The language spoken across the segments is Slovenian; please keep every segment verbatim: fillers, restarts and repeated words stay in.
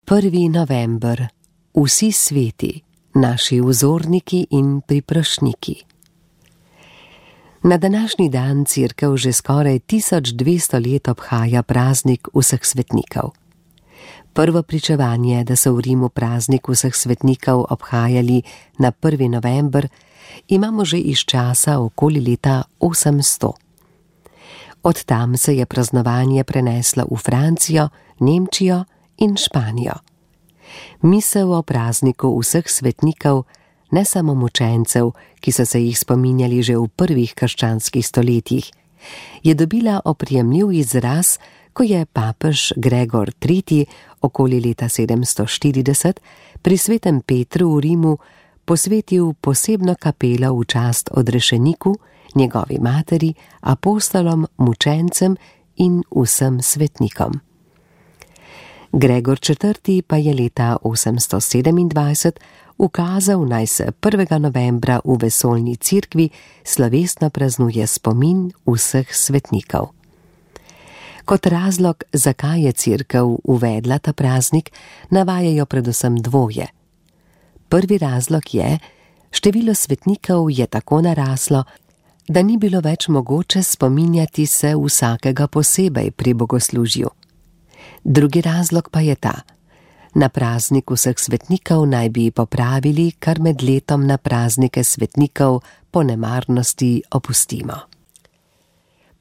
prvi november, vsi sveti, naši vzorniki in priprošniki. Na današnji dan Cerkev že skoraj tisoč dvesto let obhaja praznik vseh svetnikov. Prvo pričevanje, da so v Rimu praznik vseh svetnikov obhajali na prvi november, imamo že iz časa okoli leta osemsto. Od tam se je praznovanje preneslo v Francijo, Nemčijo in Španijo. Misel o prazniku vseh svetnikov, ne samo mučencev, ki so se jih spominjali že v prvih krščanskih stoletjih, je dobila oprijemljiv izraz, ko je papež Gregor tretji okoli leta sedemsto štirideset pri svetem Petru v Rimu posvetil posebno kapelo v čast odrešeniku, njegovi materi, apostolom, mučencem in vsem svetnikom. Gregor četrti pa je leta osemsto sedemindvajset ukazal, naj se prvega novembra v vesoljni cerkvi slovesno praznuje spomin vseh svetnikov. Kot razlog, zakaj je Cerkev uvedla ta praznik, navajajo predvsem dvoje. Prvi razlog je, število svetnikov je tako naraslo, da ni bilo več mogoče spominjati se vsakega posebej pri bogoslužju. Drugi razlog pa je ta: na praznik vseh svetnikov naj bi popravili, kar med letom na praznike svetnikov po nemarnosti opustimo.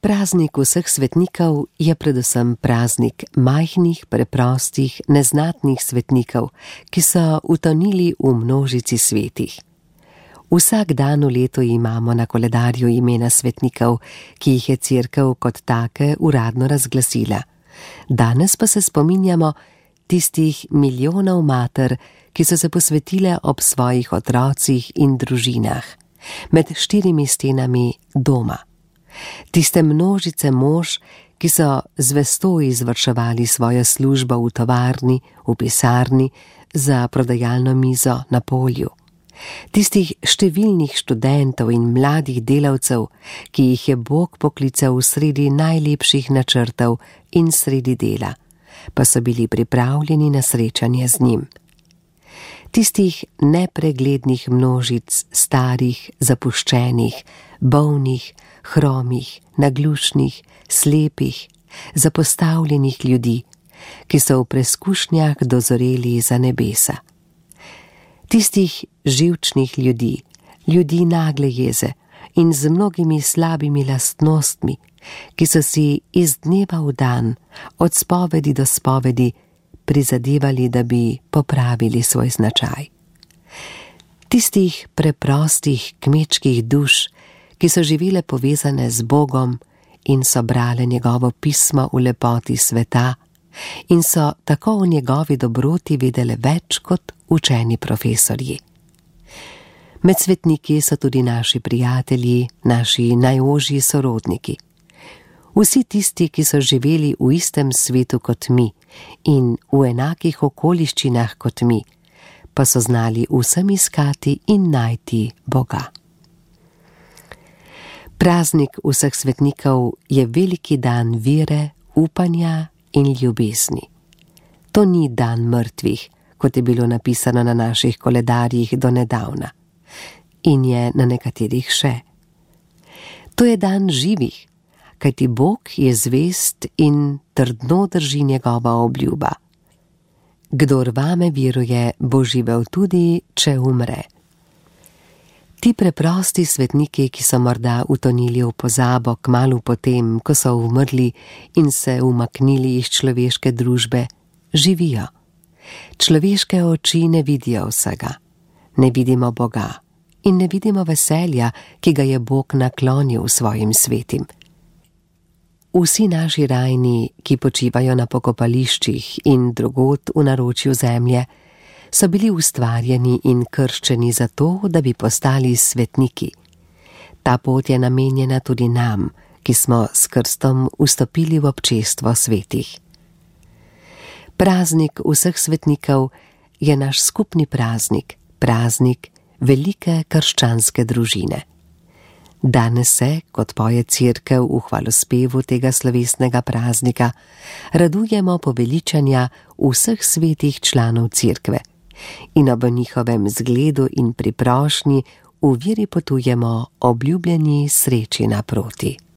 Praznik vseh svetnikov je predvsem praznik majhnih, preprostih, neznatnih svetnikov, ki so utonili v množici svetih. Vsak dan v letu imamo na koledarju imena svetnikov, ki jih je Cerkev kot take uradno razglasila. Danes pa se spominjamo tistih milijonov mater, ki so se posvetile ob svojih otrocih in družinah, med štirimi stenami doma. Tiste množice mož, ki so zvesto izvrševali svojo službo v tovarni, v pisarni, za prodajalno mizo na polju. Tistih številnih študentov in mladih delavcev, ki jih je Bog poklical sredi najlepših načrtov in sredi dela, pa so bili pripravljeni na srečanje z njim. Tistih nepreglednih množic starih, zapuščenih, bolnih, hromih, naglušnih, slepih, zapostavljenih ljudi, ki so v preskušnjah dozoreli za nebesa. Tistih živčnih ljudi, ljudi nagle jeze in z mnogimi slabimi lastnostmi, ki so si iz dneva v dan, od spovedi do spovedi, prizadevali, da bi popravili svoj značaj. Tistih preprostih kmečkih duš, ki so živele povezane z Bogom in so brale njegovo pismo v lepoti sveta in so tako o njegovi dobroti vedele več kot učeni profesorji. Med svetniki so tudi naši prijatelji, naši najožji sorodniki. Vsi tisti, ki so živeli v istem svetu kot mi in v enakih okoliščinah kot mi, pa so znali vsem iskati in najti Boga. Praznik vseh svetnikov je veliki dan vere, upanja in ljubezni. To ni dan mrtvih, kot je bilo napisano na naših koledarjih do nedavna, in je na nekaterih še. To je dan živih, kajti Bog je zvest in trdno drži njegova obljuba. Kdor vame veruje, bo živel tudi, če umre. Ti preprosti svetniki, ki so morda utonili v pozabo kmalu potem, ko so umrli in se umaknili iz človeške družbe, živijo. Človeške oči ne vidijo vsega, ne vidimo Boga in ne vidimo veselja, ki ga je Bog naklonil svojim svetim. Vsi naši rajni, ki počivajo na pokopališčih in drugod v naročju zemlje, so bili ustvarjeni in krščeni zato, da bi postali svetniki. Ta pot je namenjena tudi nam, ki smo s krstom vstopili v občestvo svetih. Praznik vseh svetnikov je naš skupni praznik, praznik velike krščanske družine. Danes se, kot poje Cerkev v hvalospevu tega slovesnega praznika, radujemo poveličanja vseh svetih članov Cerkve in ob njihovem zgledu in priprošnji v veri potujemo obljubljeni sreči naproti.